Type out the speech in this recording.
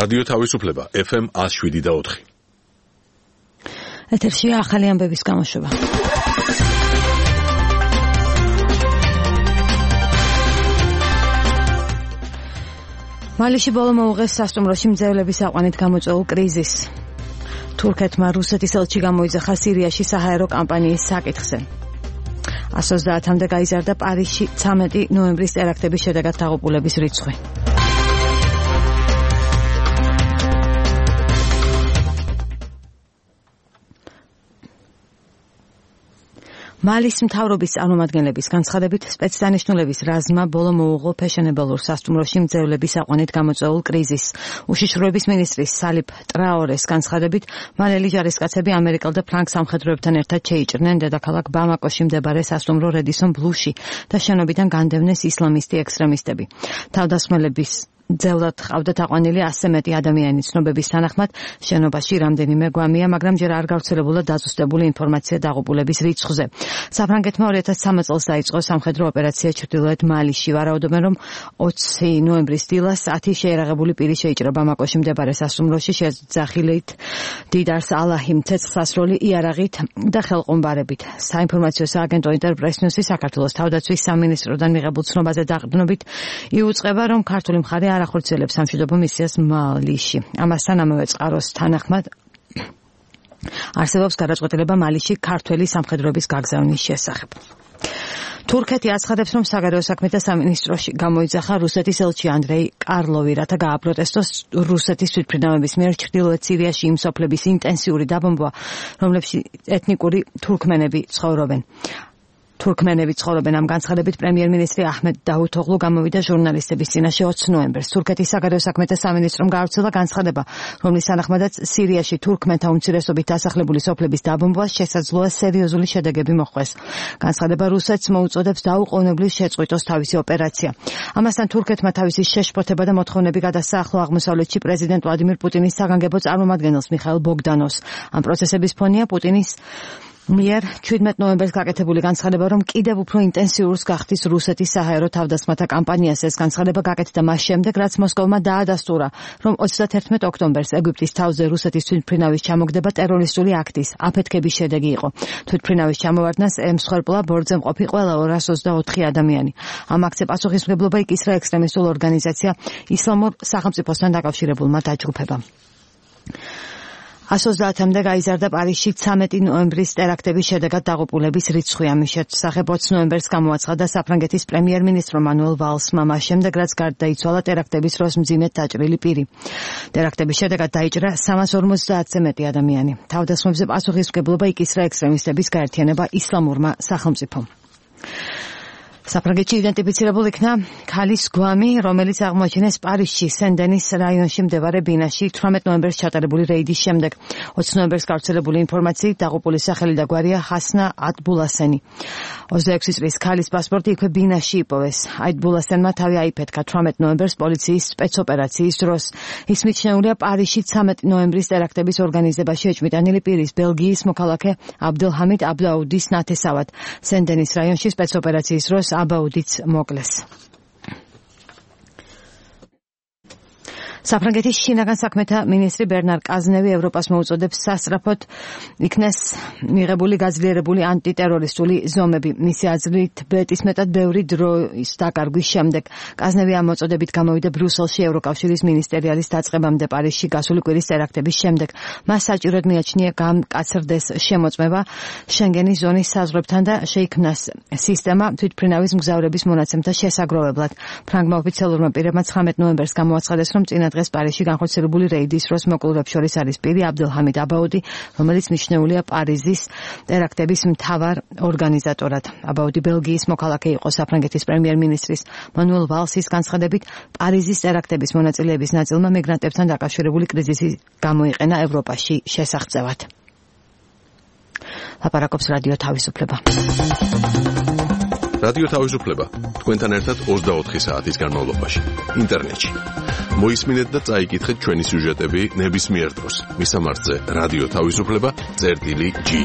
რადიო თავისუფლება FM 107.4. ეთერშია ახალი ამბების გამოშვება. მალიში ბოლო მოუღეს სასტუმროში მძევლების აყვანით გამოწვეულ კრიზისს. თურქეთმა რუსეთის ელჩი გამოიძახა სირიაში საჰაერო კამპანიის საკითხზე. 130-მდე გაიზარდა პარიზში 13 ნოემბრის ტერაქტების შედეგად დაღუპულების რიცხვი. მალის მთავრობის წარმომადგენლების განცხადებით სპეცდანიშნულების რაზმმა ბოლო მოუღო ფეშენებელურ სასტუმროში მძევლების აყვანით გამოწვეულ კრიზისს. უშიშროების მინისტრის სალიფ ტრაორეს განცხადებით მალელი ჯარისკაცები ამერიკელ და ფრანგ სამხედროებთან ერთად შეიჭრნენ დედაქალაქ ბამაკოში მდებარე სასტუმრო რედისონ ბლუში და შენობიდან განდევნეს ისლამისტი ექსტრემისტები. თავდასხმელების ძევლად ყავდათ აყვანილი 100 მეტი ადამიანი. ცნობების თანახმად შენობაში რამდენიმე გვამია, მაგრამ ჯერ არ გავრცელებულა დაზუსტებული ინფორმაცია დაღუპულების რიცხვზე. საფრანგეთმა 2013 წელს დაიწყო სამხედრო ოპერაცია ჩრდილოეთ მალიში. ვარაუდობენ, რომ 20 ნოემბრის დილას 10 შეერაღებული პირი შეიჭრა ბამაკოში მდებარე სასტუმროში შეძახილით დიდარს ალაჰიმ ცეცხლსასროლი იარაღით და ხელყუმბარებით. საინფორმაციო სააგენტო ინტერპრესნიუსი საქართველოს თავდაცვის სამინისტროდან მიღებულ ცნობაზე დაყრდნობით იუწყება, რომ ქართული მხარე არ ახორციელებს სამშვიდობო მისიას მალიში. ამასთან ამავე წყაროს თანახმად არსებობს გადაწყვეტილება მალიში ქართველი სამხედროების გაგზავნის შესახებ. თურქეთი აცხადებს, რომ საგარეო საქმეთა სამინისტროში გამოიძახა რუსეთის ელჩი ანდრეი კარლოვი, რათა გააპროტესტოს რუსეთის თვითმფრინავების მიერ ჩრდილოეთ სირიაში იმ სოფლების ინტენსიური დაბომბვა, რომლებშიც ეთნიკური თურქმენები ცხოვრობენ. ამ განცხადებით პრემიერ-მინისტრი აჰმედ დაუთოღლუ გამოვიდა ჟურნალისტების წინაშე 20 ნოემბერს. თურქეთის საგარეო საქმეთა სამინისტრომ გაავრცელა განცხადება, რომლის თანახმადაც სირიაში თურქმენთა უმცირესობით დასახლებული სოფლების დაბომბვას შესაძლოა სერიოზული შედეგები მოჰყვეს. განცხადება რუსეთს მოუწოდებს დაუყოვნებლივ შეწყვიტოს თავისი ოპერაცია. ამასთან თურქეთმა თავისი შეშფოთება და მოთხოვნები გადასცა ახლო აღმოსავლეთში პრეზიდენტ ვლადიმირ პუტინის საგანგებო წარმომადგენელს მიხაილ ბოგდანოვს. ამ პროცესების ფონია პუტინის მიერ 17 ნოემბერს გაკეთებული განცხადება, რომ კიდევ უფრო ინტენსიურს გახდის რუსეთის საჰაერო თავდასხმათა კამპანიას. ეს განცხადება გაკეთდა მას შემდეგ, რაც მოსკოვმა დაადასტურა, რომ 31 ოქტომბერს ეგვიპტის თავზე რუსეთის თვითმფრინავის ჩამოგდება ტერორისტული აქტის აფეთქების შედეგი იყო. თვითმფრინავის ჩამოვარდნას ემსხვერპლა ბორცვზე მყოფი ყველა 224 ადამიანი. ამ აქტზე პასუხისმგებლობა იკისრა ექსტრემისტულ ორგანიზაცია ისლამურ სახელმწიფოსთან დაკავშირებულმა დაჯგუფებამ. 130-მდე გაიზარდა პარიზში 13 ნოემბრის ტერაქტების შედეგად დაღუპულების რიცხვი. ამის შესახებ 20 ნოემბერს გამოაცხადა საფრანგეთის პრემიერ-მინისტრო მანუელ ვალსმა, მას შემდეგ რაც გარდაიცვალა ტერაქტების დროს მძიმედ დაჭრილი პირი. ტერაქტების შედეგად დაიჭრა 350-ზე მეტი ადამიანი. თავდასხმებზე პასუხისმგებლობა იკისრა ექსტრემისტების გაერთიანება ისლამურმა სახელმწიფომ. საფრანგეთში იდენტიფიცირებულ იქნა ქალის გვამი, რომელიც აღმოაჩინეს პარიზში სენ-დენის რაიონში მდებარე ბინაში 18 ნოემბერს ჩატარებული რეიდის შემდეგ. 20 ნოემბერს გავრცელებული ინფორმაციით დაღუპულის სახელი და გვარია ჰასნა ატბულასენი. 26 წლის ქალის პასპორტი იქვე ბინაში იპოვეს. აიტბულასენმა თავი აიფეთქა 18 ნოემბერს პოლიციის სპეცოპერაციის დროს. ის მიჩნეულია პარიზში 13 ნოემბრის ტერაქტების ორგანიზებაში ეჭვმიტანილი პირის ბელგიის მოქალაქე აბდელჰამიდ აბდაუდის ნათესავად. სენ-დენის რაიონში სპეცოპერაციის დროს აბაუდიც მოკლეს. საფრანგეთის შინაგან საქმეთა მინისტრი ბერნარ კაზნევი ევროპას მოუწოდებს სასწრაფოდ იქნეს მიღებული გაძლიერებული ანტიტერორისტული ზომები. მისი აზრით მეტისმეტად ბევრი დროის დაკარგვის შემდეგ კაზნევი ამ მოწოდებით გამოვიდა ბრიუსელში ევროკავშირის მინისტერიალის დაწყებამდე პარიზში გასული კვირის ტერაქტების შემდეგ. მას საჭიროდ მიაჩნია გამკაცრდეს შემოწმება შენგენის ზონის საზღვრებთან და შეიქმნას სისტემა თვითმფრინავის მგზავრების მონაცემთა შესაგროვებლად. ფრანგმა ოფიციალურმა პირებმა 19 ნოემბერს გამოაცხადეს, რომ წინა დღეს პარიზში განხორციელებული რეიდის დროს მოკლულებს შორის არის პირი აბდელჰამიდ აბაუდი, რომელიც მიჩნეულია პარიზის ტერაქტების მთავარ ორგანიზატორად. აბაუდი ბელგიის მოქალაქე იყო. საფრანგეთის პრემიერ-მინისტრის მანუელ ვალსის განცხადებით, პარიზის ტერაქტების მონაწილეების ნაწილმა მიგრანტებთან დაკავშირებული კრიზისი გამოიყენა ევროპაში შესახწევად. ლაპარაკობს რადიო თავისუფლება. რადიო თავისუფლება თქვენთან ერთად 24 საათის განმავლობაში ინტერნეტში. მოისმინეთ და წაიკითხეთ ჩვენი სიუჟეტები ნებისმიერ დროს. მისამართზე რადიო თავისუფლება.gi